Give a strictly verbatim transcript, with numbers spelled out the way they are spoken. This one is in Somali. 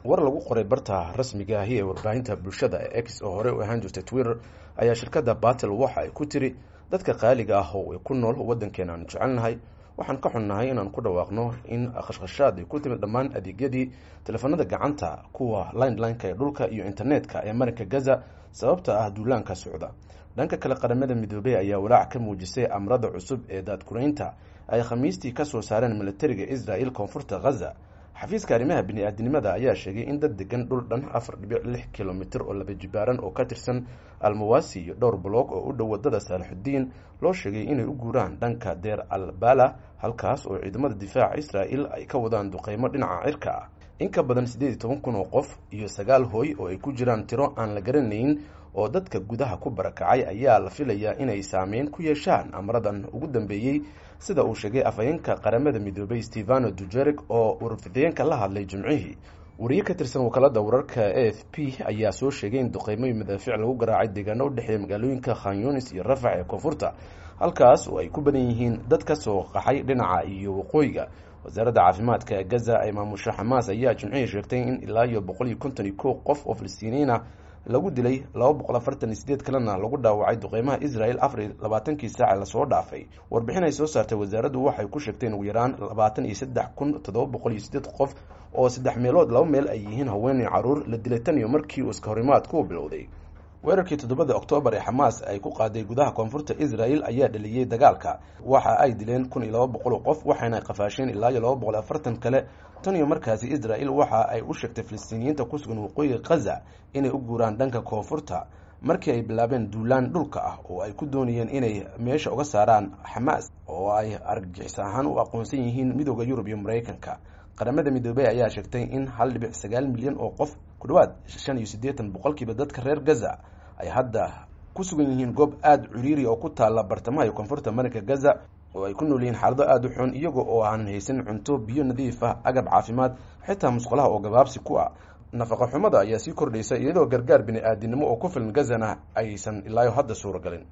War lagu qoray barta rasmiga ahi ee warbaahinta bulshada ee X, oo horey u ahaan jirtay Twitter, ayaa shirkadda Batel waxa ay ku tiri: "Dadka qaaliga ah oo ku nool waddankeena aanu jecelnahay, waxaan ka xunnahay inaan ku dhawaaqno in khashkhashaad ay ku timid dhammaan adeegyadii teleefanada gacanta, kuwa landline-ka ee dhulka iyo internetka ee marinka Gaza, sababta ah duulaanka socda." Dhanka kale, Qaramada Midoobey ayaa walaac ka muujisay amrada cusub ee daadkuraynta ay Khamiistii ka soo saareen militariga Israel koonfurta Ghaza. Xafiiska arrimaha bini-aadinimada ayaa sheegay in dad degan dhul dhan afar dhibic lix kilomitir oo laba jibaaran oo ka tirsan Almawasi iyo dhowr boloog oo u dhow wadada Saalaxudiin loo sheegay inay u guuraan dhanka Deer al Bala, halkaas oo ciidamada difaaca Israel ay ka wadaan duqeymo dhinaca cirka ah. In ka badan siddeed iyo toban kun oo qof iyo sagaal hooy oo ay ku jiraan tiro aan la garanayn oo dadka gudaha ku barakacay ayaa la filayaa inay saameyn ku yeeshaan amradan ugu dambeeyey, sida uu sheegay afhayeenka Qaramada Midoobay Stevano Dujerik oo warfideenka la hadlay Jimcihii. Wariye ka tirsan wakaalada wararka A F P ayaa soo sheegay in duqeymo iyo madaafiic lagu garaacay deegaano udhexeeya magaalooyinka Khanyunis iyo Rafax ee koonfurta, halkaas oo ay ku badan yihiin dad ka soo qaxay dhinaca iyo waqooyiga. Wasaaradda caafimaadka ee Gaza ay maamusho Xamaas ayaa Jimcihii sheegtay in ilaa iyo boqol iyo konton iyo kow qof oo Filistiiniyiin ah lagu dilay, laba boqol afartan iyo sideed kalena lagu dhaawacay duqeymaha Israel afar iyo labaatankii saace lasoo dhaafay. Warbixin ay soo saartay wasaaraddu waxay ku sheegtay in ugu yaraan labaatan iyo saddex kun toddoba boqol iyo sideed qof, oo saddex meelood laba meel ay yihiin haweeney caruur, la dilay tan iyo markii uu iska horimaadku bilowday. Weerarkii toddobada Oktoobar ee Xamaas ay ku qaaday gudaha koonfurta Israel ayaa dhaliyey dagaalka. Waxa ay dileen kun iyo laba boqol oo qof, waxayna qafaasheen ilaa iyo laba boqol afartan kale. Tan iyo markaasi, Israel waxa ay u sheegtay Filistiiniyiinta ku sugan waqooyiga Khaza inay u guuraan dhanka koonfurta, markii ay bilaabeen duulaan dhulka ah oo ay ku doonayeen inay meesha uga saaraan Xamaas, oo ay argagixis ahaan u aqoonsan yihiin Midooda Yurub iyo Maraykanka. Qaramada Midoobey ayaa sheegtay in hal dhibic sagaal milyan oo qof, ku dhawaad shan iyo siddeetan boqolkiiba dadka reer Gaza, ay hadda ku sugan yihiin goob aada ciriiri oo ku taalla bartamaha iyo koonfurta marinka Gaza, oo ay ku nool yihiin xaalado aada u xun, iyaga oo aanan haysan cunto, biyo nadiif ah, agab caafimaad, xitaa musqulaha oo gabaabsi ku ah. Nafaqa xumada ayaa sii kordhaysa, iyadoo gargaar bini-aadinimo oo ku filan Gazana aysan ilaayo hadda suuragalin.